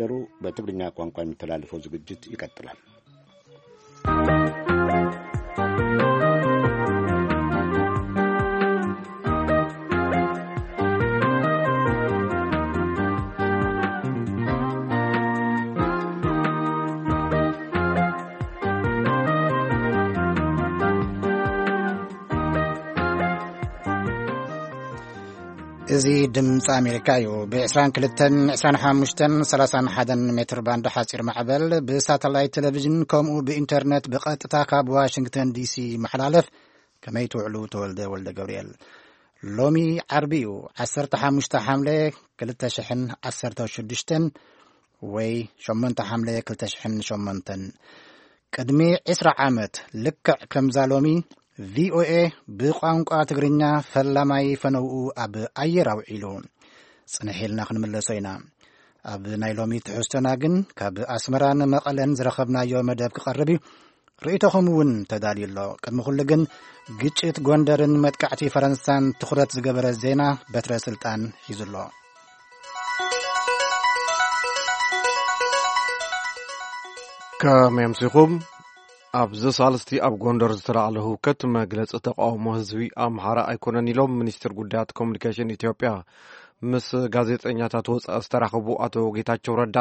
ደሩ በትግርኛ ቋንቋ የሚተላለፈው ዝግጅት ይቀጥላል። እዚ ድምፂ ኣሜሪካ እዩ። ብ22፣ 25፣ 31 ሜትር ባንድ ሓፂር ማዕበል፣ ብሳተላይት ቴሌቪዥን፣ ከምኡ ብኢንተርኔት ብቐጥታ ካብ ዋሽንግተን ዲሲ ይመሓላለፍ። ከመይ ትውዕሉ? ተወልደ ወልደ ገብርኤል። ሎሚ ዓርቢ እዩ፣ 15 ሓምለ 2016፣ ወይ 8 ሓምለ 2008። ቅድሚ 20 ዓመት፣ ልክዕ ከምዛ ሎሚ፣ ቪ ኦ ኤ ብቋንቋ ትግርኛ ፈላማይ ፈነውኡ ኣብ ኣየር ኣውዒሉ። ጽንሕ ኢልና ክንምለሶ ኢና። ኣብ ናይ ሎሚ ትሕዝቶና ግን፣ ካብ ኣስመራን መቐለን ዝረኸብናዮ መደብ ክቐርብ እዩ። ርእይቶኹም እውን ተዳልዩ ኣሎ። ቅድሚ ኩሉ ግን፣ ግጭት ጎንደርን መጥቃዕቲ ፈረንሳን ትኹረት ዝገበረ ዜና በትረ ስልጣን ሒዙ ኣሎ። ከመይ ኣምሲኹም? ኣብዚ ሳልስቲ ኣብ ጎንደር ዝተላዕለ ህውከት መግለጺ ተቃውሞ ህዝቢ ኣምሓራ ኣይኮነን ኢሎም ሚኒስትር ጉዳያት ኮሙኒኬሽን ኢትዮጵያ። ምስ ጋዜጠኛታት ወጻኢ ዝተራኸቡ ኣቶ ጌታቸው ረዳ፣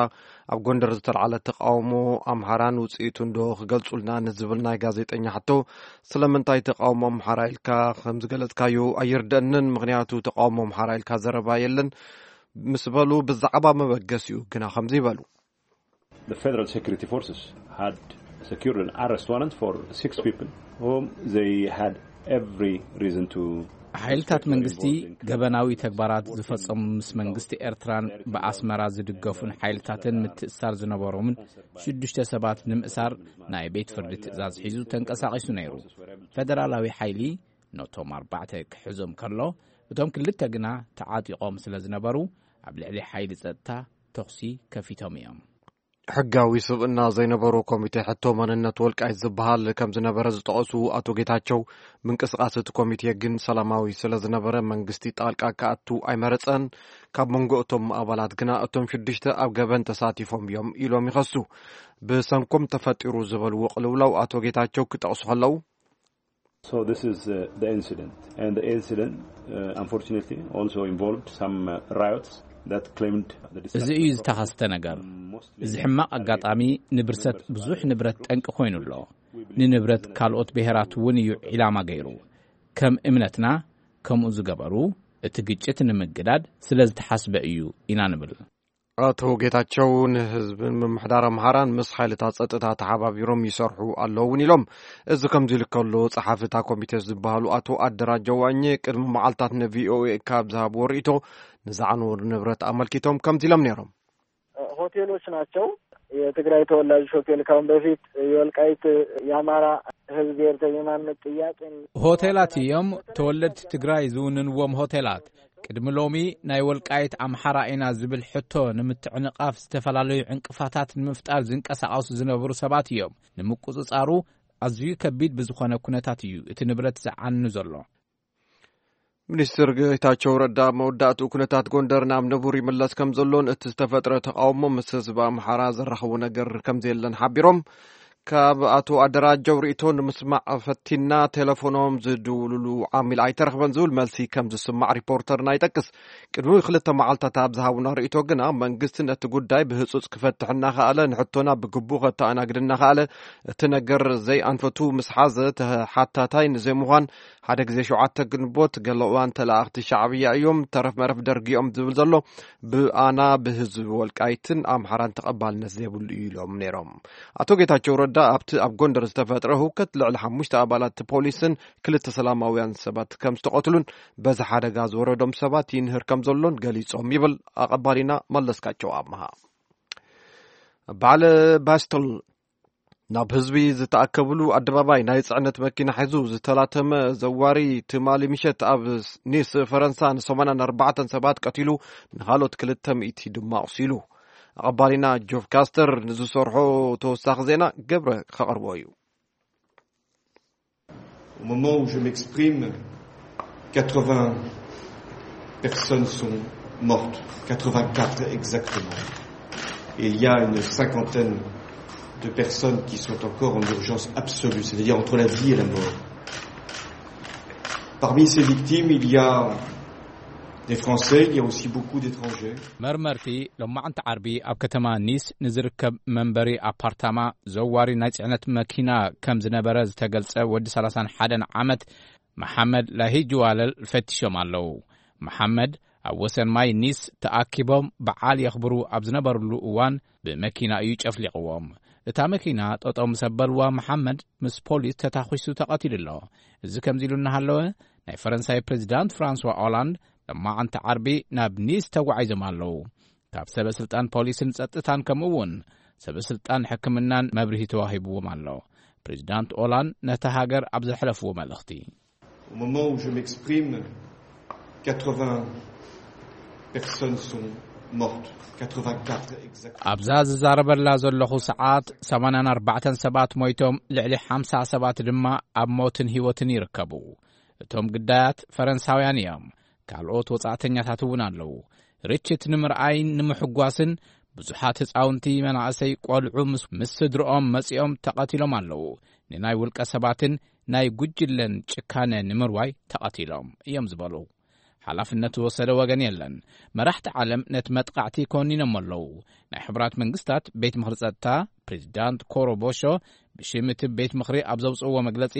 ኣብ ጎንደር ዝተላዕለ ተቃውሞ ኣምሓራን ውጽኢቱን ዶ ክገልጹልና ንዝብል ናይ ጋዜጠኛ ሕቶ፣ ስለምንታይ ተቃውሞ ኣምሓራ ኢልካ ከም ዝገለጽካዮ ኣይርደእንን፣ ምኽንያቱ ተቃውሞ ኣምሓራ ኢልካ ዘረባ የለን ምስ በሉ፣ ብዛዕባ መበገሲኡ ግና ከምዚ ይበሉ። The Federal Security Forces had secured an arrest warrant for six people whom they had every reason to ሓይልታት suspect were መንግስቲ involved in criminal ገበናዊ ተግባራት ዝፈጸሙ ምስ መንግስቲ ኤርትራን ብኣስመራ ዝድገፉን ሓይልታትን ምትእስሳር ዝነበሮምን ሽዱሽተ ሰባት ንምእሳር ናይ ቤት ፍርዲ ትእዛዝ ሒዙ ተንቀሳቒሱ ነይሩ። ፌደራላዊ ሓይሊ ነቶም ኣርባዕተ ክሕዞም ከሎ፣ እቶም ክልተ ግና ተዓጢቖም ስለ ዝነበሩ፣ ኣብ ልዕሊ ሓይሊ ጸጥታ ተኹሲ ከፊቶም እዮም። ሕጋዊ ስብእና ዘይነበሮ ኮሚቴ ሕቶ መንነት ወልቃይት ዝበሃል ከም ዝነበረ ዝጠቐሱ ኣቶ ጌታቸው፣ ምንቅስቓስ እቲ ኮሚቴ ግን ሰላማዊ ስለ ዝነበረ መንግስቲ ጣልቃ ክኣቱ ኣይመረጸን። ካብ መንጎ እቶም ኣባላት ግና እቶም ሽዱሽተ ኣብ ገበን ተሳቲፎም እዮም ኢሎም ይኸሱ። ብሰንኮም ተፈጢሩ ዝበልዎ ቅልውላው ኣቶ ጌታቸው ክጠቕሱ ከለዉ፣ So this is, uh, the incident. And the incident, uh, unfortunately, also involved some, uh, riots that claimed the እዚ destruction እዩ of ዝተኸስተ ነገር። Mostly እዚ ሕማቕ ኣጋጣሚ ንብርሰት ብዙሕ ንብረት ጠንቂ ኮይኑ ኣሎ። ንንብረት ካልኦት ብሔራት እውን እዩ ዒላማ ገይሩ። ከም እምነትና ከምኡ ዝገበሩ እቲ ግጭት ንምግዳድ ስለ ዝተሓስበ እዩ ኢና ንብል። ኣቶ ጌታቸው ንህዝብን ምምሕዳር ኣምሓራን ምስ ሓይልታት ጸጥታ ተሓባቢሮም ይሰርሑ ኣለውን ኢሎም። እዚ ከምዚ ኢሉ ከሎ፣ ጸሓፊ እታ ኮሚቴ ዝበሃሉ ኣቶ ኣደራጀው ዋኘ ቅድሚ መዓልታት ንቪ ኦ ኤ ካብ ዝሃብዎ ርእይቶ፣ ንዝዓነወ ንብረት ኣመልኪቶም ከምዚ ኢሎም ነይሮም። ሆቴሎች ናቸው። የትግራይ ተወላጆች ሆቴል ካሁን በፊት የወልቃይት የአማራ ህዝብ ብሔር የማንነት ጥያቄን ሆቴላት እዮም፣ ተወለድቲ ትግራይ ዝውንንዎም ሆቴላት። ቅድሚ ሎሚ ናይ ወልቃይት ኣምሓራ ኢና ዝብል ሕቶ ንምትዕንቓፍ ዝተፈላለዩ ዕንቅፋታት ንምፍጣር ዝንቀሳቐሱ ዝነበሩ ሰባት እዮም። ንምቁጽጻሩ ኣዝዩ ከቢድ ብዝኾነ ኩነታት እዩ እቲ ንብረት ዝዓኑ ዘሎ። ሚኒስትር ጌታቸው ረዳ ኣብ መወዳእትኡ ኩነታት ጎንደር ናብ ንቡር ይምለስ ከም ዘሎን እቲ ዝተፈጥረ ተቃውሞ ምስ ህዝቢ ኣምሓራ ዘራኽቦ ነገር ከም ዘየለን ሓቢሮም፣ ካብ ኣቶ ኣደራጀው ርእይቶ ንምስማዕ ፈቲና፣ ቴሌፎኖም ዝድውሉሉ ዓሚል ኣይተረኽበን ዝብል መልሲ ከም ዝስማዕ ሪፖርተርና ይጠቅስ። ቅድሚ ክልተ መዓልታት ኣብ ዝሃቡና ርእይቶ ግና፣ መንግስቲ ነቲ ጉዳይ ብህጹጽ ክፈትሕ እናኸኣለ፣ ንሕቶና ብግቡእ ከተኣናግድ እናኸኣለ፣ እቲ ነገር ዘይኣንፈቱ ምስ ሓዘ፣ ተሓታታይ ንዘይምዃን፣ ሓደ ግዜ ሸውዓተ ግንቦት፣ ገለ እዋን ተለኣኽቲ ሻዕብያ እዮም፣ ተረፍ መረፍ ደርጊ እዮም ዝብል ዘሎ፣ ብኣና ብህዝቢ ወልቃይትን ኣምሓራን ተቐባልነት ዘይብሉ እዩ ኢሎም ነይሮም። ኣቶ ጌታቸው ረዳ ኣብቲ ኣብ ጎንደር ዝተፈጥረ ህውከት ልዕሊ ሓሙሽተ ኣባላት ፖሊስን ክልተ ሰላማውያን ሰባት ከም ዝተቐትሉን በዚ ሓደጋ ዝወረዶም ሰባት ይንህር ከም ዘሎን ገሊጾም ይብል ኣቐባሊና መለስካቸው ኣምሃ። በዓል ባስተል ናብ ህዝቢ ዝተኣከብሉ ኣደባባይ ናይ ጽዕነት መኪና ሒዙ ዝተላተመ ዘዋሪ ትማሊ ምሸት ኣብ ኒስ ፈረንሳ ን84 ሰባት ቀቲሉ፣ ንኻልኦት ክልተ ሚእቲ ድማ ኣቑሲሉ። ኣቐባሊና ጆፍ ካስተር ንዝሰርሖ ተወሳኺ ዜና ገብረ ከቕርቦ እዩ። Au moment où je m'exprime, quatre-vingts personnes sont mortes, quatre-vingt-quatre exactement. Et il y a une cinquantaine de personnes qui sont encore en urgence absolue, c'est-à-dire entre la vie et la mort. Parmi ces victimes, il y a des Français, il y a aussi beaucoup d'étrangers. መርመርቲ ሎማዕንቲ ዓርቢ ኣብ ከተማ ኒስ ንዝርከብ መንበሪ ኣፓርታማ ዘዋሪ ናይ ጽዕነት መኪና ከም ዝነበረ ዝተገልጸ ወዲ ሰላሳን ሓደን ዓመት መሓመድ ላሂጅዋለል ፈቲሾም ኣለዉ። መሓመድ ኣብ ወሰን ማይ ኒስ ተኣኪቦም በዓል የኽብሩ ኣብ ዝነበርሉ እዋን ብመኪና እዩ ጨፍሊቕዎም። እታ መኪና ጠጠው ምስ ኣበልዋ መሓመድ ምስ ፖሊስ ተታኺሱ ተቐቲሉ ኣሎ። እዚ ከምዚ ኢሉ እናሃለወ ናይ ፈረንሳይ ፕሬዚዳንት ፍራንስዋ ኦላንድ ሎማዓንቲ ዓርቢ ናብ ኒስ ተጓዒዞም ኣለዉ። ካብ ሰበ ስልጣን ፖሊስን ጸጥታን ከምኡ እውን ሰበ ስልጣን ሕክምናን መብርሂ ተዋሂብዎም ኣሎ። ፕሬዚዳንት ኦላንድ ነታ ሃገር ኣብ ዘሕለፍዎ መልእኽቲ Au moment où je m'exprime, quatre-vingts personnes sont mortes. quatre-vingt-quatre exactement. ኣብዛ ዝዛረበላ ዘለኹ ሰዓት ሰማንያን ኣርባዕተን ሰባት ሞይቶም፣ ልዕሊ ሓምሳ ሰባት ድማ ኣብ ሞትን ህይወትን ይርከቡ። እቶም ግዳያት ፈረንሳውያን እዮም። ካልኦት ወጻእተኛታት እውን ኣለዉ። ርችት ንምርኣይን ንምሕጓስን ብዙሓት ህጻውንቲ፣ መናእሰይ፣ ቆልዑ ምስ፣ ምስ ስድርኦም መጺኦም ተቐቲሎም ኣለዉ። ንናይ ውልቀ ሰባትን ናይ ጉጅለን ጭካነ ንምርዋይ ተቐቲሎም እዮም ዝበሉ። ሓላፍነት ዝወሰደ ወገን የለን። መራሕቲ ዓለም ነቲ መጥቃዕቲ ኮኒኖም ኣለዉ። ናይ ሕቡራት መንግስታት ቤት ምኽሪ ጸጥታ ፕሬዚዳንት ኮሮ ቦሾ ብሽም እቲ ቤት ምኽሪ ኣብ ዘውፅእዎ መግለጺ፣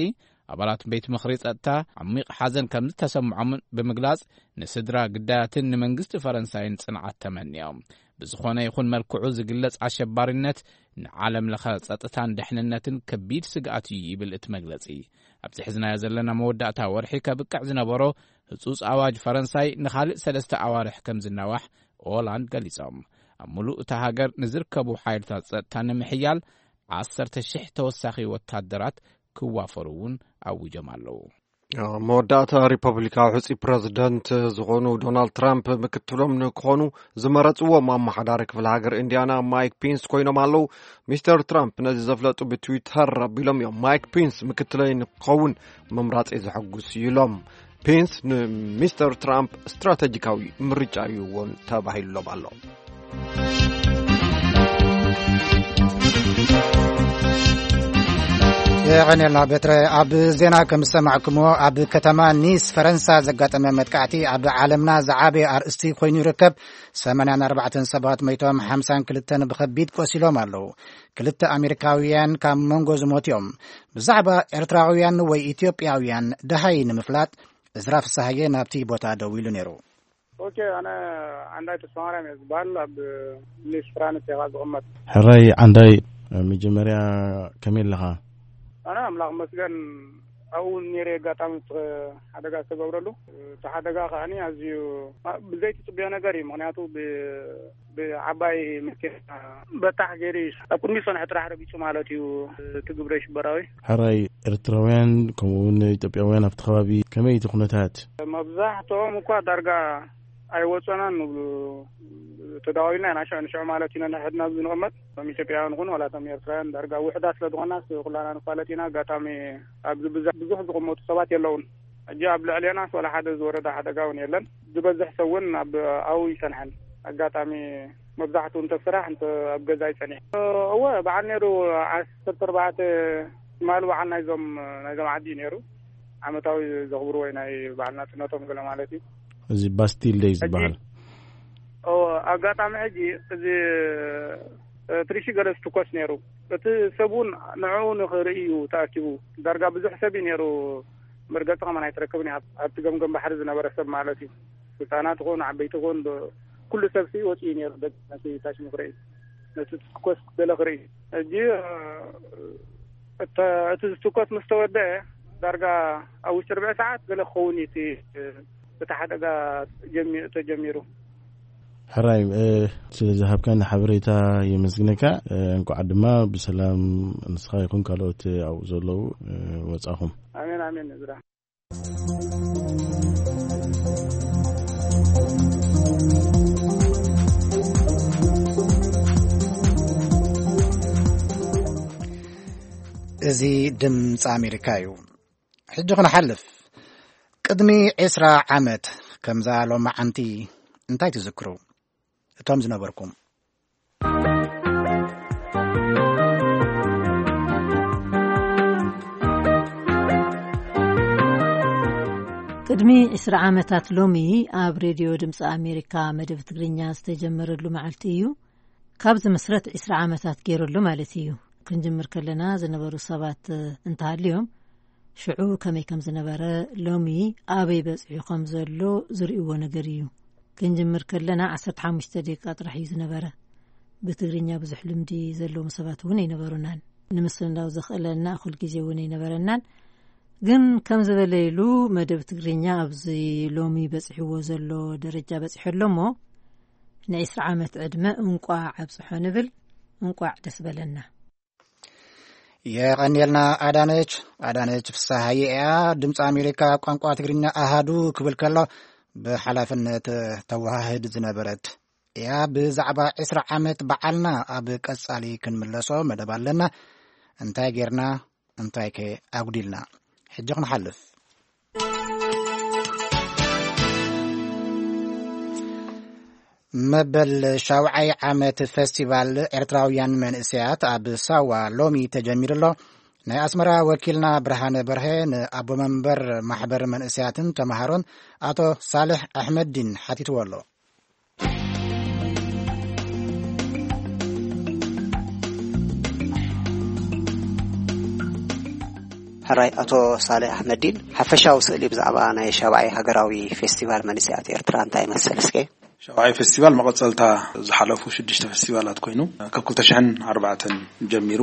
ኣባላት ቤት ምኽሪ ጸጥታ ዓሚቕ ሓዘን ከም ዝተሰምዖምን ብምግላጽ፣ ንስድራ ግዳያትን ንመንግስቲ ፈረንሳይን ጽንዓት ተመንዮም። ብዝኾነ ይኹን መልክዑ ዝግለጽ ኣሸባሪነት ንዓለም ለኸ ጸጥታን ድሕንነትን ከቢድ ስግኣት እዩ ይብል እቲ መግለጺ። ኣብዚ ሕዝናዮ ዘለና መወዳእታ ወርሒ ከብቅዕ ዝነበሮ ህጹጽ ኣዋጅ ፈረንሳይ ንኻልእ ሰለስተ ኣዋርሕ ከም ዝናዋሕ ኦላንድ ገሊጾም። ኣብ ምሉእ እታ ሃገር ንዝርከቡ ሓይልታት ጸጥታ ንምሕያል ዓሰርተ ሽሕ ተወሳኺ ወታደራት ክዋፈሩ እውን ኣዊጆም ኣለዉ። መወዳእታ ሪፐብሊካዊ ሕፁይ ፕረዚደንት ዝኾኑ ዶናልድ ትራምፕ ምክትሎም ንክኾኑ ዝመረፅዎም ኣመሓዳሪ ክፍለ ሃገር ኢንዲያና ማይክ ፒንስ ኮይኖም ኣለዉ። ሚስተር ትራምፕ ነዚ ዘፍለጡ ብትዊተር ኣቢሎም እዮም። ማይክ ፒንስ ምክትለይ ንክኸውን ምምራፀይ ዘሐጉስ እዩ ኢሎም። ፒንስ ንሚስተር ትራምፕ ስትራተጂካዊ ምርጫ እዩ እውን ተባሂሉሎም ኣሎ። የቐኔልና ቤትረ። ኣብ ዜና ከም ዝሰማዕኩምዎ፣ ኣብ ከተማ ኒስ ፈረንሳ ዘጋጠመ መጥቃዕቲ ኣብ ዓለምና ዝዓበየ ኣርእስቲ ኮይኑ ይርከብ። ሰማንያን ኣርባዕተን ሰባት ሞይቶም፣ ሓምሳን ክልተን ብኸቢድ ቆሲሎም ኣለዉ። ክልተ ኣሜሪካውያን ካብ መንጎ ዝሞቱ እዮም። ብዛዕባ ኤርትራውያን ወይ ኢትዮጵያውያን ደሃይ ንምፍላጥ፣ እዝራ ፍስሃየ ናብቲ ቦታ ደው ኢሉ ነይሩ። ኦኬ፣ ኣነ ዓንዳይ ተስፋማርያም እየ ዝበሃል። ኣብ ኒስ ፍራንስ እየ ዝቕመጥ። ሕራይ ዓንዳይ፣ መጀመርያ ከመይ ኣለኻ? ኣነ ኣምላኽ መስገን ኣብኡ ነይረ ኣጋጣሚ እቲ ሓደጋ ዝተገብረሉ። እቲ ሓደጋ ከዓኒ ኣዝዩ ብዘይቲ ጽቡዮ ነገር እዩ። ምኽንያቱ ብ-፣ ብዓባይ መኪና በታሕ ገይሩ እዩ። ኣብ ቅድሚ ዝጸንሐ ጥራሕ ረጊጹ ማለት እዩ እቲ ግብረ ሽበራዊ። ሕራይ ኤርትራውያን ከምኡ እውን ኢትዮጵያውያን ኣብቲ ከባቢ ከመይ እቲ ኩነታት? መብዛሕትኦም እኳ ዳርጋ ኣይወጸናን ንብሉ። ተዳዋዊልና ኢና ሽዑ ንሽዑ ማለት ኢና ንሕድና ኣብዚ ንቕመጥ። እቶም ኢትዮጵያውያን ይኹን ዋላ እቶም ኤርትራውያን ዳርጋ ውሕዳት ስለ ዝኾናስ ኩላና ንፋለጥ ኢና። ኣጋጣሚ ኣብዚ ብዙሕ፣ ብዙሕ ዝቕመጡ ሰባት የለውን። ሕጂ ኣብ ልዕሌናስ ዋላ ሓደ ዝወረደ ሓደጋ እውን የለን። ዝበዝሕ ሰብ እውን ኣብ ኣብኡ ይጸንሐን። ኣጋጣሚ መብዛሕትኡ እንተ ስራሕ እንተ ኣብ ገዛ ይጸኒሕ። እወ፣ በዓል ነይሩ ዓሰርተ ኣርባዕተ ትማሊ በዓል ናይዞም፣ ናይዞም ዓዲ እዩ ነይሩ። ዓመታዊ ዘኽብርዎ ናይ በዓል ናጽነቶም ገለ ማለት እዩ። እዚ ባስቲል ደይ ዝበሃል። እዎ፣ ኣጋጣሚ ሕጂ እዚ፣ እ፣ ትሪሺ ገለ ዝትኮስ ነይሩ። እቲ ሰብ እውን ንዕኡ ንኽርኢ እዩ ተኣኪቡ። ዳርጋ ብዙሕ ሰብ እዩ ነይሩ። መርገጺ ከማን ኣይትረክብን እያ። ኣብ-፣ ኣብቲ ገምገም ባሕሪ ዝነበረ ሰብ ማለት እዩ። ህጻናት ይኹን ዓበይቲ ይኹን ብ-፣ ኩሉ ሰብ ሲ ወጺኡ ነይሩ። ደግ ነቲ ታሽሙ ክርኢ፣ ነቲ ትኮስ ገለ ክርኢ። ሕጂ፣ እ፣ እተ-፣ እቲ ዝትኮስ ምስ ተወደአ ዳርጋ ኣብ ውሽጢ ርብዒ ሰዓት ገለ ክኸውን እዩ እቲ፣ እ፣ እቲ ሓደጋ ጀሚ-፣ ተጀሚሩ። ሕራይ፣ እ፣ ስለ ዝሃብካኒ ሓበሬታ የመስግነካ። እ፣ እንኳዕ ድማ ብሰላም ንስኻ ይኹን ካልኦት ኣብኡ ዘለዉ፣ እ፣ ወጻኹም። ኣሜን፣ ኣሜን፣ እዝራ። እዚ ድምፂ ኣሜሪካ እዩ። ሕጂ ክንሓልፍ፣ ቅድሚ ዕስራ ዓመት ከምዛ ሎማዓንቲ እንታይ ትዝክሩ? እቶም ዝነበርኩም። ቅድሚ ዕስራ ዓመታት ሎሚ ኣብ ሬድዮ ድምፂ ኣሜሪካ መደብ ትግርኛ ዝተጀመረሉ መዓልቲ እዩ። ካብ ዝምስረት ዕስራ ዓመታት ገይሩ ኣሎ ማለት እዩ። ክንጅምር ከለና ዝነበሩ ሰባት እንተሃልዮም፣ ሽዑ ከመይ ከም ዝነበረ፣ ሎሚ ኣበይ በፂሑ ከም ዘሎ ዝርእይዎ ነገር እዩ። ክንጅምር ከለና ዓሰርተ ሓሙሽተ ደቂቃ ጥራሕ እዩ ዝነበረ። ብትግርኛ ብዙሕ ልምዲ ዘለዎም ሰባት እውን ኣይነበሩናን። ንምስንዳው ዘኽእለና እኹል ግዜ እውን ኣይነበረናን። ግን ከም ዝበለ ኢሉ፣ መደብ ትግርኛ ኣብዚ ሎሚ በፂሕዎ ዘሎ ደረጃ በፂሑ ኣሎ እሞ፣ ንዒስራ ዓመት ዕድመ እንቋዕ ኣብፅሖ ንብል። እንቋዕ ደስ በለና። የቐንየልና ኣዳነች። ኣዳነች ፍስሃየ እያ፣ ድምፂ ኣሜሪካ ቋንቋ ትግርኛ ኣሃዱ ክብል ከሎ ብሓላፍነት ተወሃህድ ዝነበረት እያ። ብዛዕባ ዕስራ ዓመት በዓልና ኣብ ቀጻሊ ክንምለሶ መደብ ኣለና። እንታይ ጌርና፣ እንታይ ከ ኣጉዲልና? ሕጂ ክንሓልፍ። መበል ሻውዓይ ዓመት ፌስቲቫል ኤርትራውያን መንእሰያት ኣብ ሳዋ ሎሚ ተጀሚሩ ኣሎ። ናይ ኣስመራ ወኪልና ብርሃነ በርሀ ንኣቦ መንበር ማሕበር መንእሰያትን ተምሃሮን ኣቶ ሳልሕ ኣሕመድዲን ሓቲትዎ ኣሎ። ሕራይ ኣቶ ሳልሕ ኣሕመድዲን፣ ሓፈሻዊ ስእሊ ብዛዕባ ናይ ሻብዓይ ሃገራዊ ፌስቲቫል መንእሰያት ኤርትራ እንታይ ይመስል እስከ? ሻብዓይ ፌስቲቫል መቐጸልታ ዝሓለፉ ሽዱሽተ ፌስቲቫላት ኮይኑ፣ ካብ ክልተ ሽሕን ኣርባዕተን ጀሚሩ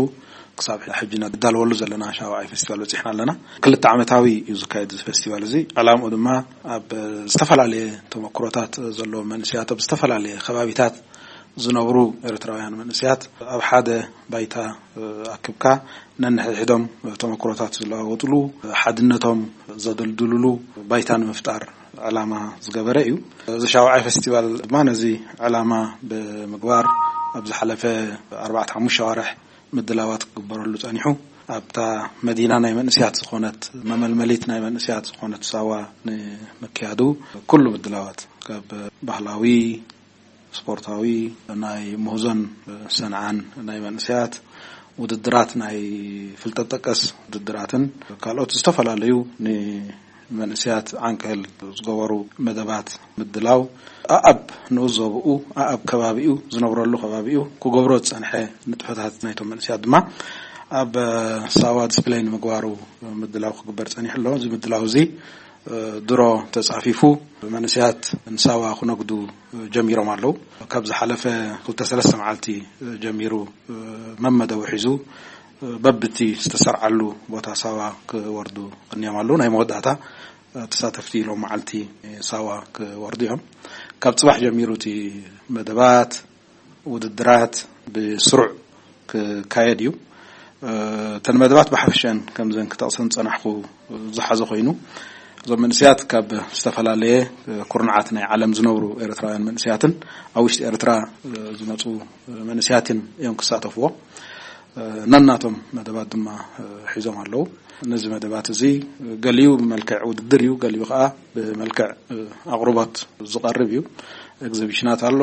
ክሳብ ሕጂ ንዳለወሉ ዘለና ሻብዓይ ፌስቲቫል በጺሕና ኣለና። ክልተ ዓመታዊ እዩ ዝካየድ እዚ ፌስቲቫል እዚ። ዕላምኡ ድማ ኣብ ዝተፈላለየ ተመክሮታት ዘለዎም መንእሰያት ኣብ ዝተፈላለየ ከባቢታት ዝነብሩ ኤርትራውያን መንእሰያት ኣብ ሓደ ባይታ ኣክብካ ነንሕድሕዶም ተመክሮታት ዝለዋወጥሉ፣ ሓድነቶም ዘደልድልሉ ባይታ ንምፍጣር ዕላማ ዝገበረ እዩ። እዚ ሻውዓይ ፌስቲቫል ድማ ነዚ ዕላማ ብምግባር ኣብ ዝሓለፈ ኣርባዕተ ሓሙሽተ ኣዋርሕ ምድላዋት ክግበረሉ ጸኒሑ። ኣብታ መዲና ናይ መንእስያት ዝኾነት፣ መመልመሊት ናይ መንእስያት ዝኾነት ሳዋ ንምክያዱ ኩሉ ምድላዋት፣ ካብ ባህላዊ፣ ስፖርታዊ፣ ናይ ምህዞን ሰንዓን ናይ መንእስያት ውድድራት፣ ናይ ፍልጠት ጠቀስ ውድድራትን ካልኦት ዝተፈላለዩ ንመንእስያት ዓንቀል ዝገበሩ መደባት ምድላው፣ ኣኣብ ንኡስ ዞባኡ፣ ኣኣብ ከባቢኡ፣ ዝነብረሉ ከባቢኡ ክገብሮ ዝጸንሐ ንጥፈታት ናይቶም መንእስያት ድማ ኣብ ሳዋ ዲስፕሌይ ንምግባሩ ምድላው ክግበር ጸኒሑ ኣሎ። እዚ ምድላው እዚ ድሮ ተጻፊፉ መንእስያት ንሳዋ ክነግዱ ጀሚሮም ኣለዉ። ካብ ዝሓለፈ ክልተ ሰለስተ መዓልቲ ጀሚሩ መመደቡ ሒዙ በብቲ ዝተሰርዓሉ ቦታ ሳዋ ክወርዱ ቀኒዮም ኣለዉ። ናይ መወዳእታ ተሳተፍቲ ሎም መዓልቲ ሳዋ ክወርዱ እዮም። ካብ ጽባሕ ጀሚሩ እቲ መደባት ውድድራት ብስሩዕ ክካየድ እዩ። እተን መደባት ብሓፈሽአን ከምዘን ክጠቕሰን ዝጸናሕኩ ዝሓዘ ኮይኑ፣ እዞም መንእስያት ካብ ዝተፈላለየ ኩርናዓት ናይ ዓለም ዝነብሩ ኤርትራውያን መንእስያትን ኣብ ውሽጢ ኤርትራ ዝመጹ መንእስያትን እዮም ክሳተፍዎ። ነናቶም መደባት ድማ ሒዞም ኣለዉ። ነዚ መደባት እዚ ገሊኡ ብመልክዕ ውድድር እዩ፣ ገሊኡ ከኣ ብመልክዕ ኣቕርቦት ዝቐርብ እዩ። ኤግዚቢሽናት ኣሎ፣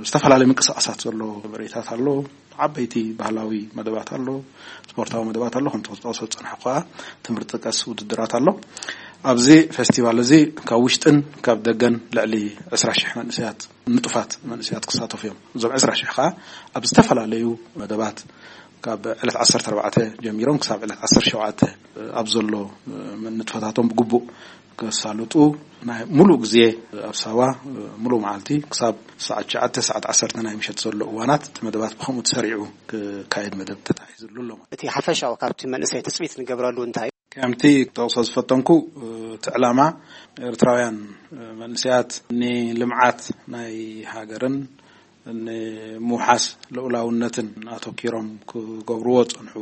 ዝተፈላለዩ ምንቅስቓሳት ዘሎ ምርኢታት ኣሎ፣ ዓበይቲ ባህላዊ መደባት ኣሎ፣ ስፖርታዊ መደባት ኣሎ፣ ከምቲ ክጠቕሶ ዝጸናሕኩ ከኣ ትምህርቲ ጠቀስ ውድድራት ኣሎ። ኣብዚ ፌስቲቫል እዚ ካብ ውሽጥን ካብ ደገን ልዕሊ ዕስራ ሽሕ መንእሰያት፣ ንጡፋት መንእሰያት ክሳተፉ እዮም። እዞም ዕስራ ሽሕ ከኣ ኣብ ዝተፈላለዩ መደባት ካብ ዕለት ዓሰርተ ኣርባዕተ ጀሚሮም ክሳብ ዕለት ዓሰርተ ሸውዓተ ኣብ ዘሎ ንጥፈታቶም ብግቡእ ከሳልጡ ናይ ሙሉእ ግዜ ኣብ ሳዋ ሙሉእ መዓልቲ ክሳብ ሰዓት ትሽዓተ፣ ሰዓት ዓሰርተ ናይ ምሸት ዘሎ እዋናት እቲ መደባት ብኸምኡ ተሰሪዑ ክካየድ መደብ ተታሒዝሉ ኣሎ። እቲ ሓፈሻዊ ካብቲ መንእሰይ ትጽቢት ንገብረሉ እንታይ እዩ? ከምቲ ክጠቕሶ ዝፈተንኩ፣ እቲ ዕላማ ኤርትራውያን መንእሰያት ንልምዓት ናይ ሃገርን ንምውሓስ ልኡላውነትን ኣተኪሮም ክገብርዎ ዝጸንሑ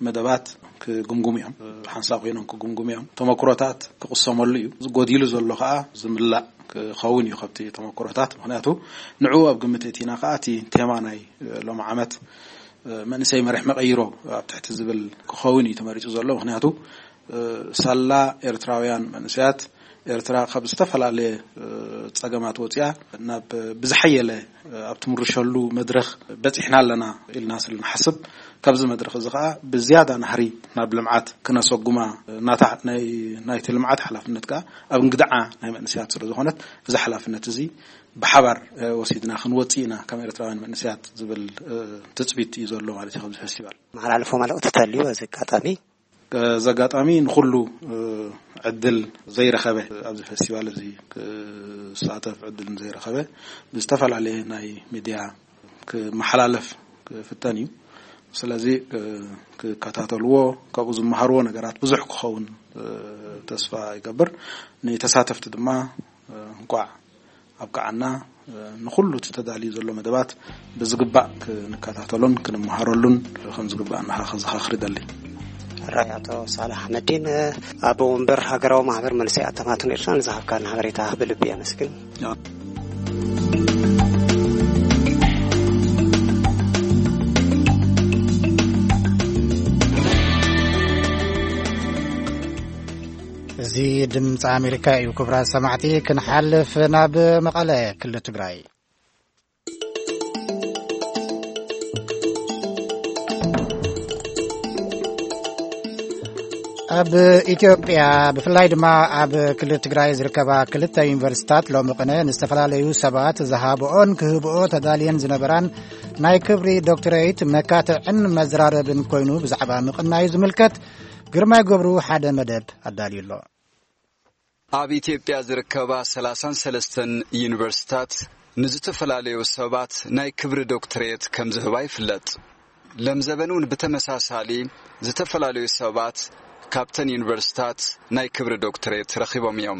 መደባት ክግምግሙ እዮም። ሓንሳብ ኮይኖም ክግምግሙ እዮም። ተመክሮታት ክቕሰመሉ እዩ። ዝጎዲሉ ዘሎ ከኣ ዝምላእ ክኸውን እዩ ካብቲ ተመክሮታት። ምኽንያቱ ንዕኡ ኣብ ግምት እቲና ከኣ እቲ ቴማ ናይ ሎሚ ዓመት መንእሰይ መሪሕ መቐይሮ ኣብ ትሕቲ ዝብል ክኸውን እዩ ተመሪጹ ዘሎ። ምኽንያቱ ሳላ ኤርትራውያን መንእሰያት ኤርትራ ካብ ዝተፈላለየ ጸገማት ወጺኣ ናብ ብዝሓየለ ኣብ ትምርሸሉ መድረኽ በጺሕና ኣለና ኢልና ስለ ንሓስብ፣ ካብዚ መድረኽ እዚ ኸኣ ብዝያዳ ናህሪ ናብ ልምዓት ክነሰጉማ፣ ናታ ናይ ናይቲ ልምዓት ሓላፍነት ከኣ ኣብ እንግድዓ ናይ መንእሰያት ስለ ዝኾነት፣ እዚ ሓላፍነት እዚ ብሓባር ወሲድና ክንወጽእ ኢና ከም ኤርትራውያን መንእሰያት ዝብል ትጽቢት እዩ ዘሎ ማለት እዩ። ካብዚ ፈስቲቫል መሓላልፎ መልእኽቲ ተልዩ በዚ ኣጋጣሚ? እዚ ኣጋጣሚ ንኹሉ ዕድል ዘይረኸበ፣ ኣብዚ ፈስቲቫል እዚ ክሳተፍ ዕድል ዘይረኸበ ብዝተፈላለየ ናይ ሚድያ ክመሓላለፍ ክፍተን እዩ። ስለዚ ክከታተልዎ፣ ካብኡ ዝመሃርዎ ነገራት ብዙሕ ክኸውን ተስፋ ይገብር። ንተሳተፍቲ ድማ እንቋዕ ኣብቅዓና። ንኹሉ እቲ ተዳልዩ ዘሎ መደባት ብዝግባእ ክንከታተሎን ክንመሃረሉን ከም ዝግባእ እናኻ ከዘኻኽር ይደሊ። ሕራይ ኣቶ ሳልሕ ኣሕመዲን፣ ኣቦ ወንበር ሃገራዊ ማሕበር መንእሰይ ኣተማትን ኤርትራ፣ ንዝሃብካና ሓበሬታ ብልቢ የመስግን። እዚ ድምፂ ኣሜሪካ እዩ። ክቡራት ሰማዕቲ፣ ክንሓልፍ ናብ መቐለ ክልል ትግራይ። ኣብ ኢትዮጵያ፣ ብፍላይ ድማ ኣብ ክልል ትግራይ ዝርከባ ክልተ ዩኒቨርሲታት ሎሚ ቅነ ንዝተፈላለዩ ሰባት ዝሃብኦን ክህብኦ ተዳልየን ዝነበራን ናይ ክብሪ ዶክትሬት መካትዕን መዘራረብን ኮይኑ ብዛዕባ ምቕናዩ ዝምልከት ግርማይ ገብሩ ሓደ መደብ ኣዳልዩ ኣሎ። ኣብ ኢትዮጵያ ዝርከባ ሰላሳን ሰለስተን ዩኒቨርሲታት ንዝተፈላለዩ ሰባት ናይ ክብሪ ዶክትሬት ከም ዝህባ ይፍለጥ። ለምዘበን እውን ብተመሳሳሊ ዝተፈላለዩ ሰባት ካብተን ዩኒቨርሲታት ናይ ክብሪ ዶክትሬት ረኺቦም እዮም።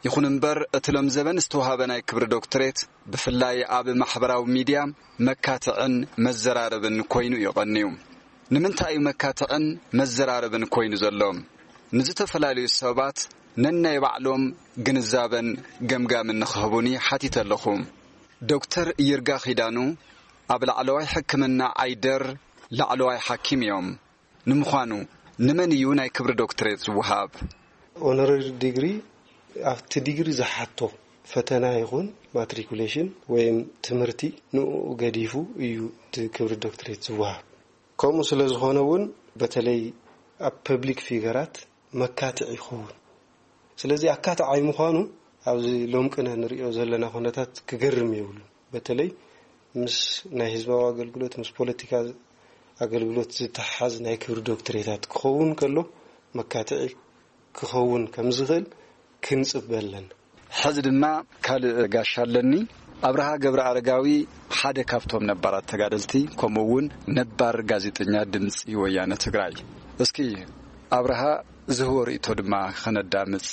ይኹን እምበር፣ እቲ ለምዘበን ዝተዋህበ ናይ ክብሪ ዶክትሬት ብፍላይ ኣብ ማሕበራዊ ሚድያ መካትዕን መዘራረብን ኮይኑ እዩ ቀንዩ። ንምንታይ እዩ መካትዕን መዘራረብን ኮይኑ ዘሎ? ንዝተፈላለዩ ሰባት ነናይ ባዕሎም ግንዛበን ገምጋምን ንኽህቡኒ ሓቲተ ኣለኹ። ዶክተር ይርጋ ኪዳኑ ኣብ ላዕለዋይ ሕክምና ዓይደር ላዕለዋይ ሓኪም እዮም። ንምዃኑ ንመን እዩ ናይ ክብሪ ዶክትሬት ዝወሃብ? ኦነራሪ ዲግሪ ኣብቲ ዲግሪ ዝሓቶ ፈተና ይኹን ማትሪኩሌሽን ወይም ትምህርቲ ንኡ ገዲፉ እዩ እቲ ክብሪ ዶክትሬት ዝወሃብ። ከምኡ ስለ ዝኾነ እውን በተለይ ኣብ ፐብሊክ ፊገራት መካትዕ ይኸውን። ስለዚ ኣካትዓይ ምዃኑ ኣብዚ ሎም ቅነ ንሪኦ ዘለና ኩነታት ክገርም የብሉ። በተለይ ምስ ናይ ህዝባዊ ኣገልግሎት፣ ምስ ፖለቲካ ኣገልግሎት ዝተሓሓዝ ናይ ክብሪ ዶክትሬታት ክኸውን ከሎ መካትዒ ክኸውን ከም ዝኽእል ክንጽበ ኣለና። ሕዚ ድማ ካልእ ጋሻ ኣለኒ። ኣብርሃ ገብረ ኣረጋዊ ሓደ ካብቶም ነባራት ተጋደልቲ፣ ከምኡ እውን ነባር ጋዜጠኛ ድምፂ ወያነ ትግራይ። እስኪ ኣብርሃ ዝህቦ ርእይቶ ድማ ከነዳምፅ።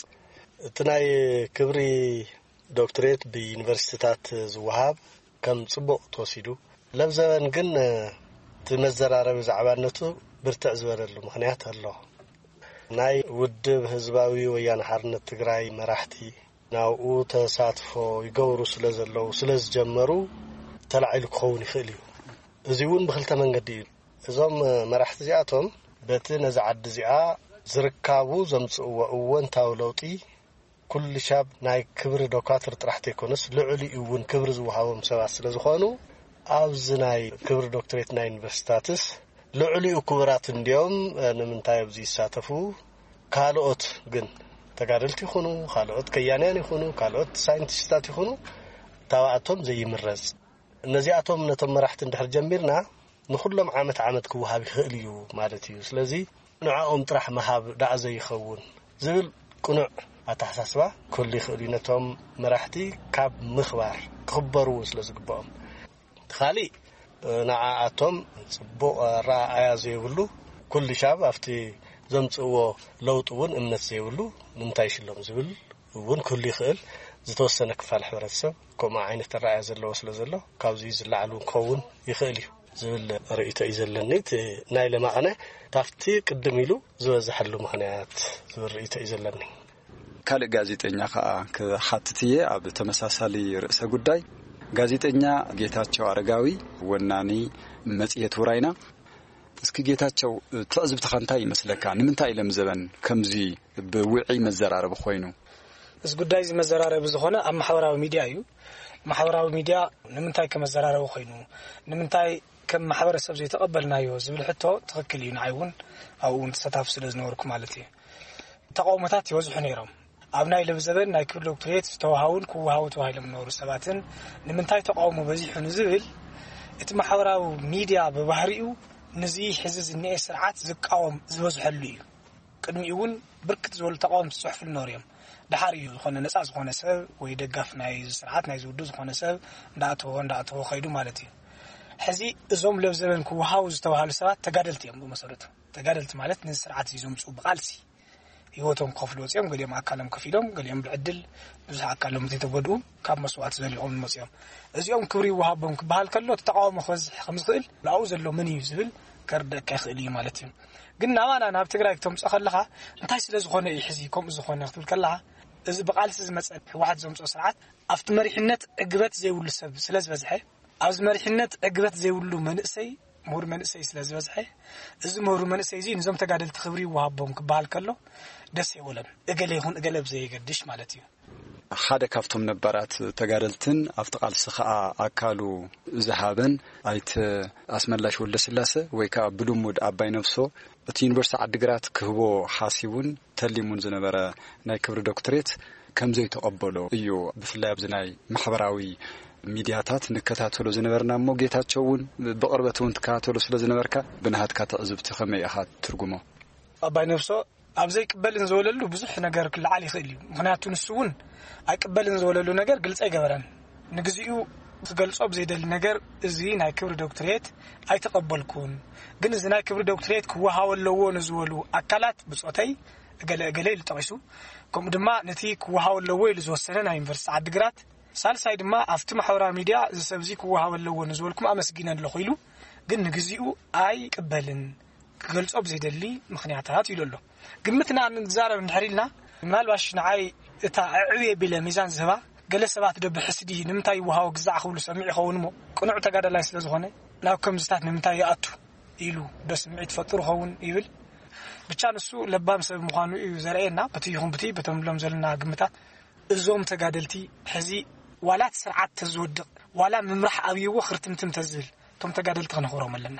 እቲ ናይ ክብሪ ዶክትሬት ብዩኒቨርሲቲታት ዝወሃብ ከም ጽቡቕ ተወሲዱ። ለብዘበን ግን እቲ መዘራረቢ ዛዕባነቱ ብርትዕ ዝበለሉ ምኽንያት ኣሎ። ናይ ውድብ ህዝባዊ ወያነ ሓርነት ትግራይ መራሕቲ ናብኡ ተሳትፎ ይገብሩ ስለ ዘለዉ፣ ስለ ዝጀመሩ ተላዒሉ ክኸውን ይኽእል እዩ። እዚ እውን ብኽልተ መንገዲ እዩ። እዞም መራሕቲ እዚኣቶም በቲ ነዚ ዓዲ እዚኣ ዝርካቡ ዘምጽእዎ እወንታዊ ለውጢ ኩልሻብ ናይ ክብሪ ዶካትር ጥራሕ ተይኮነስ ልዕሊኡ እውን ክብሪ ዝወሃቦም ሰባት ስለ ዝኾኑ ኣብዚ ናይ ክብሪ ዶክትሬት ናይ ዩኒቨርሲቲታትስ ልዕሊኡ ክቡራት እንዲዮም። ንምንታይ ኣብዚ ይሳተፉ? ካልኦት ግን ተጋደልቲ ይኹኑ፣ ካልኦት ከያንያን ይኹኑ፣ ካልኦት ሳይንቲስታት ይኹኑ፣ ታብኣቶም ዘይምረጽ። ነዚኣቶም ነቶም መራሕቲ እንድሕር ጀሚርና ንኹሎም ዓመት ዓመት ክወሃብ ይኽእል እዩ ማለት እዩ። ስለዚ ንዕኦም ጥራሕ ምሃብ ደኣ ዘይኸውን ዝብል ቅኑዕ ኣተሓሳስባ ክህሉ ይኽእል እዩ። ነቶም መራሕቲ ካብ ምኽባር ክኽበሩ እውን ስለ ዝግብኦም። እቲ ካሊእ ንዓኣቶም ጽቡቕ ኣረኣእያ ዘይብሉ፣ ኩሉ ሻብ ኣብቲ ዘምጽእዎ ለውጢ እውን እምነት ዘይብሉ ንምንታይ ሽሎም ዝብል እውን ክህሉ ይኽእል። ዝተወሰነ ክፋል ሕብረተሰብ ከምኡ ዓይነት ኣረኣእያ ዘለዎ ስለ ዘሎ ካብዚ ዝለዓል እውን ክኸውን ይኽእል እዩ ዝብል ርእይቶ እዩ ዘለኒ። እቲ ናይ ለማቕነ ካብቲ ቅድም ኢሉ ዝበዝሐሉ ምኽንያት ዝብል ርእይቶ እዩ ዘለኒ። ካልእ ጋዜጠኛ ከኣ ክሓትት እየ ኣብ ተመሳሳሊ ርእሰ ጉዳይ። ጋዜጠኛ ጌታቸው ኣረጋዊ፣ ወናኒ መጽሔት ውራይና። እስኪ ጌታቸው፣ ትዕዝብትኻ እንታይ ይመስለካ? ንምንታይ ኢሎም ዘበን ከምዚ ብውዒ መዘራረቢ ኮይኑ? እዚ ጉዳይ እዚ መዘራረቢ ዝኾነ ኣብ ማሕበራዊ ሚድያ እዩ። ማሕበራዊ ሚድያ ንምንታይ ከመዘራረቢ ኮይኑ፣ ንምንታይ ከም ማሕበረሰብ ዘይተቐበልናዮ ዝብል ሕቶ ትኽክል እዩ። ንዓይ እውን ኣብኡ እውን ተሳታፊ ስለ ዝነበርኩ ማለት እዩ። ተቃውሞታት ይበዝሑ ነይሮም። ኣብ ናይ ለብዘበን ናይ ክብሪ ዶክትሬት ዝተዋሃውን ክወሃቡ ተባሂሎም ዝነበሩ ሰባትን ንምንታይ ተቃውሞ በዚሑ ንዝብል፣ እቲ ማሕበራዊ ሚድያ ብባህሪኡ ንዚ ሕዚ ዝኒኤ ስርዓት ዝቃወም ዝበዝሐሉ እዩ። ቅድሚኡ እውን ብርክት ዝበሉ ተቃወምቲ ዝፅሕፍሉ ነሩ እዮም። ድሓር እዩ ዝኾነ ነፃ ዝኾነ ሰብ ወይ ደጋፍ ናይ ስርዓት ናይ ዝውዱ ዝኾነ ሰብ እንዳእተወ እንዳእተወ ከይዱ ማለት እዩ። ሕዚ እዞም ለብዘበን ክወሃቡ ዝተባሃሉ ሰባት ተጋደልቲ እዮም። ብመሰረቱ ተጋደልቲ ማለት ነዚ ስርዓት እዚ ዘምፅኡ ብቃልሲ ህይወቶም ክኸፍሉ ወፂኦም፣ ገሊኦም ኣካሎም ከፊሎም፣ ገሊኦም ብዕድል ብዙሕ ኣካሎም ዘይተጎድኡ ካብ መስዋእቲ ዘሊቖም መፂኦም። እዚኦም ክብሪ ይወሃቦም ክበሃል ከሎ እቲ ተቃውሞ ክበዝሕ ከም ዝኽእል ኣብኡ ዘሎ መን እዩ ዝብል ከርደካ ይኽእል እዩ ማለት እዩ። ግን ናባና ናብ ትግራይ ክተምፅኦ ከለኻ እንታይ ስለ ዝኾነ እዩ ሕዚ ከምኡ ዝኾነ ክትብል ከለኻ፣ እዚ ብቃልሲ ዝመፀ ህወሓት ዘምፅኦ ስርዓት ኣብቲ መሪሕነት ዕግበት ዘይብሉ ሰብ ስለ ዝበዝሐ፣ ኣብዚ መሪሕነት ዕግበት ዘይብሉ መንእሰይ፣ ምሁር መንእሰይ ስለ ዝበዝሐ፣ እዚ ምሁር መንእሰይ እዚ ንዞም ተጋደልቲ ክብሪ ይወሃቦም ክበሃል ከሎ ደስ ይብለን። እገለ ይኹን እገለ ብዘየገድሽ ማለት እዩ። ሓደ ካብቶም ነባራት ተጋደልትን ኣብቲ ቃልሲ ኸኣ ኣካሉ ዝሃበን ኣይተ ኣስመላሽ ወልደስላሰ ወይ ከኣ ብልሙድ ኣባይ ነብሶ እቲ ዩኒቨርሲቲ ዓዲግራት ክህቦ ሓሲቡን ተሊሙን ዝነበረ ናይ ክብሪ ዶክትሬት ከም ዘይተቐበሎ እዩ። ብፍላይ ኣብዚ ናይ ማሕበራዊ ሚድያታት ንከታተሎ ዝነበርና እሞ ጌታቸው እውን ብቕርበት እውን ትከታተሎ ስለ ዝነበርካ ብናሃትካ ትዕዝብቲ ከመይ ኢኻ ትርጉሞ? ኣባይ ነብሶ ኣብ ዘይቅበልን ዝበለሉ ብዙሕ ነገር ክለዓል ይኽእል እዩ። ምኽንያቱ ንሱ እውን ኣይቅበልን ዝበለሉ ነገር ግልፂ ኣይገበረን። ንግዚኡ ክገልጾ ብዘይደሊ ነገር እዚ ናይ ክብሪ ዶክትሬት ኣይተቐበልኩን። ግን እዚ ናይ ክብሪ ዶክትሬት ክወሃቦ ኣለዎ ንዝበሉ ኣካላት ብጾተይ እገለ እገለ ኢሉ ጠቒሱ። ከምኡ ድማ ነቲ ክወሃቦ ኣለዎ ኢሉ ዝወሰነ ናይ ዩኒቨርሲቲ ዓዲግራት። ሳልሳይ ድማ ኣብቲ ማሕበራዊ ሚድያ እዚ ሰብ እዚ ክወሃቦ ኣለዎ ንዝበልኩም ኣመስጊነ ኣለኹ ኢሉ። ግን ንግዚኡ ኣይቅበልን። ክገልጾ ብዘይደሊ ምኽንያታት ኢሉ ኣሎ። ግምትና ንዛረብ እንድሕር ኢልና፣ ምናልባሽ ንዓይ እታ ኣዕብየ ቢለ ሚዛን ዝህባ፣ ገለ ሰባት ዶ ብሕስዲ ንምንታይ ይወሃቦ ግዛዕ ክብሉ ሰሚዑ ይኸውን እሞ፣ ቅኑዕ ተጋዳላይ ስለ ዝኾነ ናብ ከምዝታት ንምንታይ ይኣቱ ኢሉ ዶ ስምዒት ፈጥሩ ኸውን ይብል። ብቻ ንሱ ለባም ሰብ ምዃኑ እዩ ዘርእየና፣ በቲ ይኹን ብቲ በቶም ንብሎም ዘለና ግምታት። እዞም ተጋደልቲ ሕዚ ዋላ እቲ ስርዓት ተዝወድቕ፣ ዋላ ምምራሕ ኣብይዎ ክርትምትም ተዝብል፣ እቶም ተጋደልቲ ክነኽብሮም ኣለና።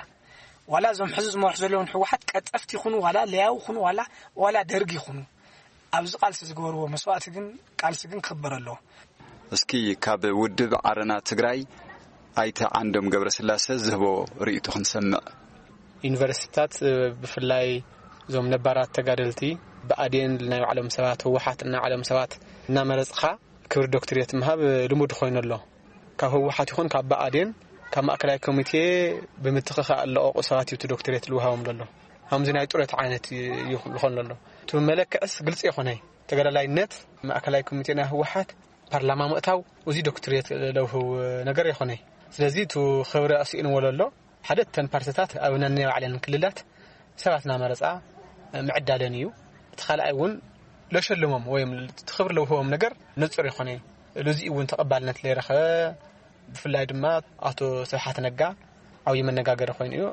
ዋላ እዞም ሕዚ ዝመርሑ ዘለውን ህወሓት ቀጠፍቲ ይኹኑ፣ ዋላ ለያው ይኹኑ፣ ዋላ ዋላ ደርግ ይኹኑ፣ ኣብዚ ቃልሲ ዝገበርዎ መስዋእቲ ግን፣ ቃልሲ ግን ክኽበር ኣለዎ። እስኪ ካብ ውድብ ዓረና ትግራይ ኣይተ ዓንዶም ገብረስላሰ ዝህቦ ርእይቶ ክንሰምዕ። ዩኒቨርሲቲታት፣ ብፍላይ እዞም ነባራት ተጋደልቲ ብኣዴን ናይ ባዕሎም ሰባት፣ ህወሓት ናይ ባዕሎም ሰባት እናመረፅኻ ክብሪ ዶክትሬት ምሃብ ልሙድ ኮይኑ ኣሎ። ካብ ህወሓት ይኹን ካብ ብኣዴን፣ ካብ ማእከላይ ኮሚቴ ብምትኽኻእ ኣለቐቑ ሰባት እዩ እቲ ዶክትሬት ልውሃቦም ዘሎ። ከምዚ ናይ ጡረታ ዓይነት እዩ ዝኾን ዘሎ። እቲ መለክዕስ ግልፂ ይኾነይ። ተጋዳላይነት ማእከላይ ኮሚቴ ናይ ህወሓት ፓርላማ ምእታው፣ እዚ ዶክትሬት ለውህው ነገር ይኾነይ። ስለዚ እቲ ክብሪ ኣስኢንዎ ዘሎ ሓደ እተን ፓርትታት ኣብ ነናይ ባዕለን ክልላት ሰባት እናመረፃ ምዕዳለን እዩ። እቲ ካልኣይ እውን ለሸልሞም ወይም እቲ ክብሪ ለውህቦም ነገር ንፁር ይኾነ እዩ። እዚ እውን ተቐባልነት ለይረኸበ፣ ብፍላይ ድማ ኣቶ ስብሓት ነጋ ዓብዪ መነጋገሪ ኮይኑ እዩ።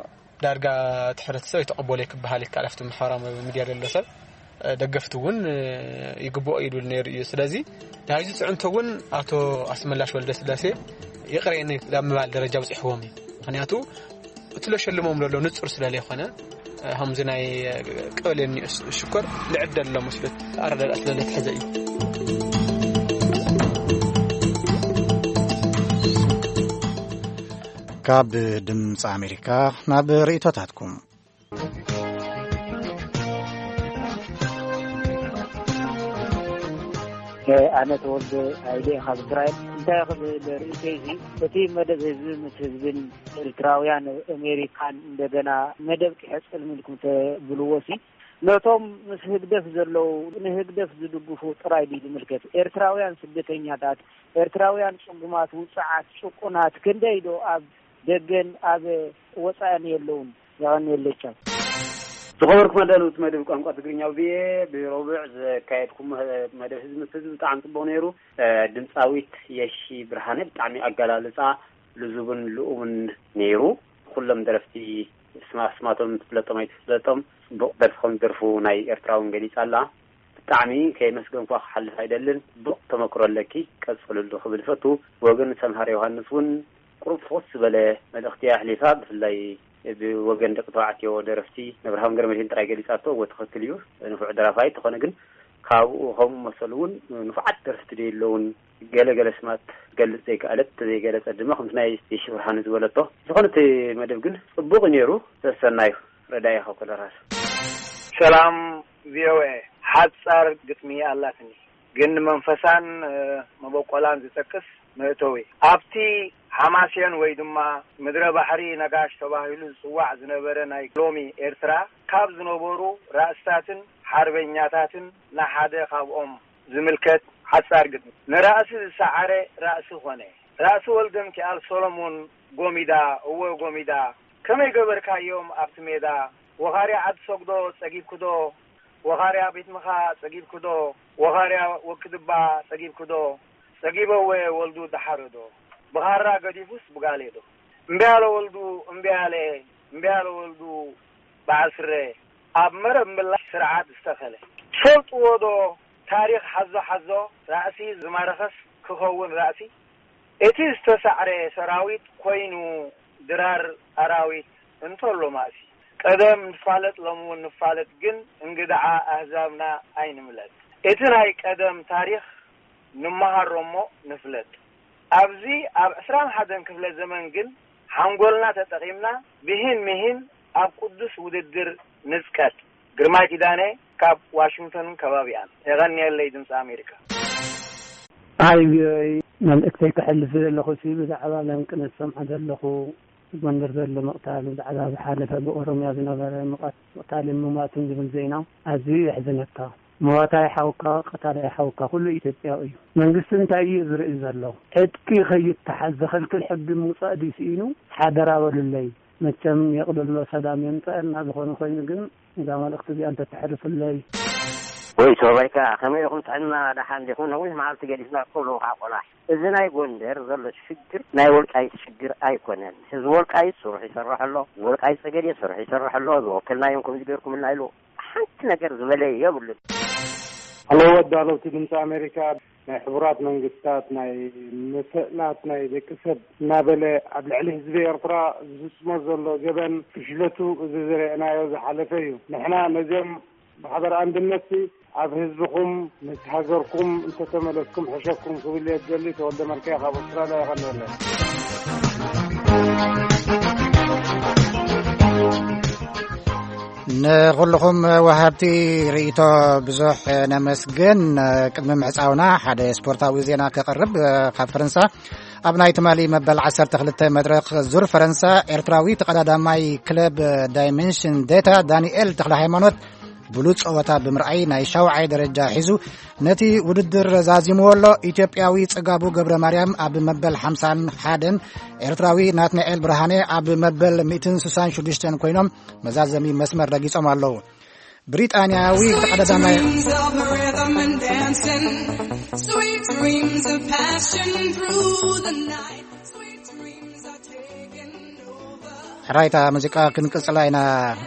ዳርጋ እቲ ሕብረተሰብ ኣይተቐበሎ ክበሃል ይከኣል። ኣብቲ ማሕበራዊ ሚድያ ዘሎ ሰብ፣ ደገፍቲ እውን ይግብኦ ይብል ነይሩ እዩ። ስለዚ ናይዚ ፅዕንቶ እውን ኣቶ ኣስመላሽ ወልደስላሴ ይቕሬኒ ናብ ምባል ደረጃ በፂሕዎም እዩ። ምኽንያቱ እቲ ለሸልሞም ዘሎ ንፁር ስለ ዘይኮነ፣ ከምዚ ናይ ቀበሌ እኒኦ ሽኮር ልዕደል ኣሎ መስሎት ኣረዳድኣ ስለ ለትሐዘ እዩ። ካብ ድምፂ ኣሜሪካ ናብ ርእይቶታትኩም። ኣነ ተወልደ ኣይደ ካብ እስራኤል። እንታይ ክብል ርእይተይ እዚ፣ እቲ መደብ ህዝቢ ምስ ህዝብን ኤርትራውያን ኣሜሪካን እንደገና መደብ ክሕጽል ምልኩም ተብልዎ ሲ፣ ነቶም ምስ ህግደፍ ዘለዉ፣ ንህግደፍ ዝድግፉ ጥራይ ድዩ ዝምልከት? ኤርትራውያን ስደተኛታት፣ ኤርትራውያን ጽጉማት፣ ውጽዓት፣ ጭቁናት ክንደይ ዶ ኣብ ደገን ኣብ ወጻእን የለውን? የቐንየለይ። ቻው። ዝኸበርኩም ኣዳለውቲ መደብ ቋንቋ ትግርኛ ቪኦኤ፣ ብረቡዕ ዘካየድኩም መደብ ህዝቢ ምስ ህዝቢ ብጣዕሚ ጽቡቕ ነይሩ። ድምጻዊት የሺ ብርሃነ ብጣዕሚ ኣገላልጻ ልዙብን ልኡምን ነይሩ። ኩሎም ደረፍቲ ስማ-፣ ስማቶም ትፍለጦም ኣይትፍለጦም፣ ጽቡቕ ደርፊ ከም ዝደርፉ ናይ ኤርትራ እውን ገሊጻ ኣላ። ብጣዕሚ ከየመስገንኳ ክሓልፍ ኣይደልን። ጽቡቕ ተመክሮ ኣለኪ፣ ቀጽልሉ ክብል ይፈቱ። ብወገን ሰምሃር ዮሃንስ እውን ቁሩብ ፍኹስ ዝበለ መልእኽቲ ኣሕሊፋ። ብፍላይ ብወገን ደቂ ተባዕትዮ ደረፍቲ ነብርሃም ገረመድህን ጥራይ ገሊጻቶ፣ እወ ትኽክል እዩ፣ ንፉዕ ደራፋይ። ተኾነ ግን ካብኡ ከምኡ መሰሉ እውን ንፉዓት ደረፍቲ ዶ የለውን? ገለ ገለ ስማት ትገልጽ ዘይከኣለት፣ ዘይገለጸት ድማ ከምቲ ናይ የሺ ብርሃነ ዝበለቶ። ዝኾነ እቲ መደብ ግን ጽቡቕ እዩ ነይሩ። ሰሰናዩ ረዳኢ ካብ ኮሎራዶ። ሰላም ቪኦኤ፣ ሓጻር ግጥሚ ኣላትኒ፣ ግን ንመንፈሳን መበቆላን ዝጠቅስ መእተዊ። ኣብቲ ሓማሴን ወይ ድማ ምድረ ባሕሪ ነጋሽ ተባሂሉ ዝጽዋዕ ዝነበረ ናይ ሎሚ ኤርትራ ካብ ዝነበሩ ራእስታትን ሓርበኛታትን ንሓደ ካብኦም ዝምልከት ሓጻር ግጥሚ። ንራእሲ ዝሰዓረ ራእሲ ኾነ። ራእሲ ወልደምኪኣል ሶሎሞን ጎሚዳ፣ እወ ጎሚዳ፣ ከመይ ገበርካዮም ኣብቲ ሜዳ? ወኻርያ ዓዲ ሰጉዶ ጸጊብክዶ? ወኻርያ ቤት ምኻ ጸጊብክዶ? ወኻርያ ወክድባ ጸጊብክዶ? ጸጊበወ ወልዱ ደሓረዶ? ብኻራ ገዲፉስ ብጋሌዶ? እምቢ ኣለ ወልዱ፣ እምቢ ኣለ፣ እምቢ ኣለ ወልዱ በዓል ስረ፣ ኣብ መረብ ምላሽ ስርዓት ዝተኸለ። ትፈልጥዎ ዶ ታሪኽ ሓዞ ሓዞ፣ ራእሲ ዝማረኸስ ክኸውን ራእሲ? እቲ ዝተሳዕረ ሰራዊት ኮይኑ ድራር ኣራዊት እንተሎ ማእሲ። ቀደም ንፋለጥ ሎሚ እውን ንፋለጥ፣ ግን እንግድዓ ኣህዛብና ኣይንምለጥ። እቲ ናይ ቀደም ታሪኽ ንመሃሮ እሞ ንፍለጥ። ኣብዚ ኣብ ዕስራን ሓደን ክፍለ ዘመን ግን ሓንጎልና ተጠቒምና ብሂን ምሂን ኣብ ቅዱስ ውድድር ንጽቀጥ። ግርማይ ኪዳነ ካብ ዋሽንግተንን ከባቢኣን። የቐንየለይ ድምፂ ኣሜሪካ። ኣይ ቪኦኤ፣ መልእክተይ ከሕልፍ ዘለኹ ሲ ብዛዕባ ለንቅነት ሰምዖ ዘለኹ፣ ጎንደር ዘሎ ምቕታል፣ ብዛዕባ ዝሓለፈ ብኦሮምያ ዝነበረ ምቐት-፣ ምቕታልን ምሟትን ዝብል ዜና ኣዝዩ የሕዝነካ። መዋታይ ሓውካ፣ ቀታላይ ሓውካ፣ ኩሉ ኢትዮጵያዊ እዩ። መንግስቲ እንታይ እዩ ዝርኢ ዘሎ? ዕጥቂ ከይተሓዝ ዘኸልክል ሕጊ ምውጻእ ድዩ ስኢኑ? ሓደራ በሉለይ። መቸም የቕልሎ ሰላም የምጸአልና። ዝኾነ ኮይኑ ግን እዛ መልእኽቲ እዚኣ እንተተሕልፍለይ። ወይ ሶባይካ፣ ከመይ ኢኹም? ጥዕና ደሓን ዲኹም? ነዊሕ መዓልቲ ገዲፍና እኮ ልኡኻ ቆላሕ። እዚ ናይ ጎንደር ዘሎ ሽግር ናይ ወልቃይት ሽግር ኣይኮነን። ህዝቢ ወልቃይት ስሩሕ ይሰርሕ ኣሎ፣ ወልቃይት ጸገዴ ስሩሕ ይሰርሕ ኣሎ። ዝወከልናዮም ከምዚ ገይርኩምልና ኢሉ ሓንቲ ነገር ዝበለ የብሉን። ኣለዎ ኣዳለውቲ ድምፂ ኣሜሪካ፣ ናይ ሕቡራት መንግስታት ናይ መሰላት ናይ ደቂ ሰብ እናበለ ኣብ ልዕሊ ህዝቢ ኤርትራ ዝፍጽሞ ዘሎ ገበን ፍሽለቱ እዚ ዝረአናዮ ዝሓለፈ እዩ። ንሕና ነዚኦም ብሓበር ኣንድነት ኣብ ህዝብኹም ምስ ሃገርኩም እንተተመለስኩም ሕሸኩም ክብል እየ ዝደሊ። ተወልደ መልክያ ካብ ኣውስትራልያ። ይቐንየለይ። ንኹልኹም ወሃብቲ ርእይቶ ብዙሕ ነመስግን። ቅድሚ ምዕጻውና ሓደ ስፖርታዊ ዜና ከቕርብ። ካብ ፈረንሳ ኣብ ናይ ትማሊ መበል ዓሰርተ ክልተ መድረኽ ዙር ፈረንሳ ኤርትራዊ ተቐዳዳማይ ክለብ ዳይሜንሽን ዴታ ዳንኤል ተኽለ ሃይማኖት ብሉጽ ጸወታ ብምርኣይ ናይ ሻውዓይ ደረጃ ሒዙ ነቲ ውድድር ዛዚምዎ ኣሎ። ኢትዮጵያዊ ጽጋቡ ገብረ ማርያም ኣብ መበል ሓምሳን ሓደን፣ ኤርትራዊ ናትናኤል ብርሃነ ኣብ መበል ሚእትን ስሳን ሽዱሽተን ኮይኖም መዛዘሚ መስመር ረጊጾም ኣለዉ። ብሪጣንያዊ ተቐዳዳማይ Dreams of rhythm and dancing, sweet dreams of passion through the night. Sweet dreams are taking over. ሕራይታ ሙዚቃ ክንቅጽላ ኢና፣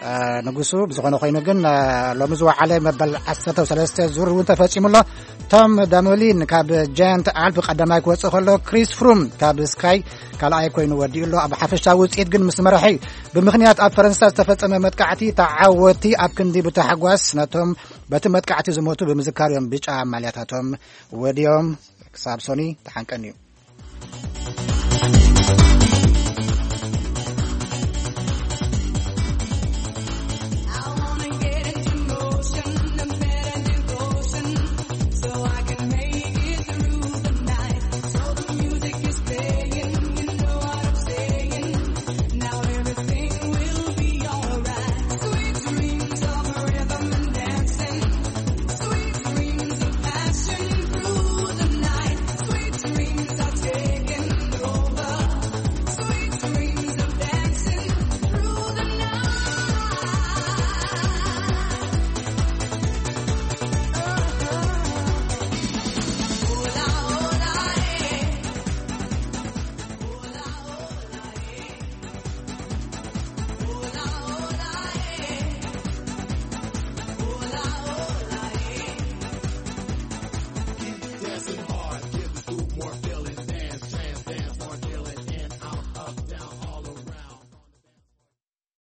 እ፣ ንጉሱ። ብዝኾነ ኮይኑ ግን፣ እ፣ ሎሚ ዝወዓለ መበል ዓሰርተ ሰለስተ ዙር እውን ተፈጺሙ ኣሎ። ቶም ዳሞሊን ካብ ጃያንት ኣልፕ ቀዳማይ ክወጽእ ከሎ፣ ክሪስ ፍሩም ካብ ስካይ ካልኣይ ኮይኑ ወዲኡ ኣሎ። ኣብ ሓፈሻዊ ውጽኢት ግን ምስ መራሒ ብምኽንያት ኣብ ፈረንሳ ዝተፈጸመ መጥቃዕቲ ተዓወቲ ኣብ ክንዲ ብታሕጓስ ነቶም በቲ መጥቃዕቲ ዝሞቱ ብምዝካር እዮም ብጫ ማልያታቶም ወዲኦም። ክሳብ ሶኒ ተሓንቀን እዩ።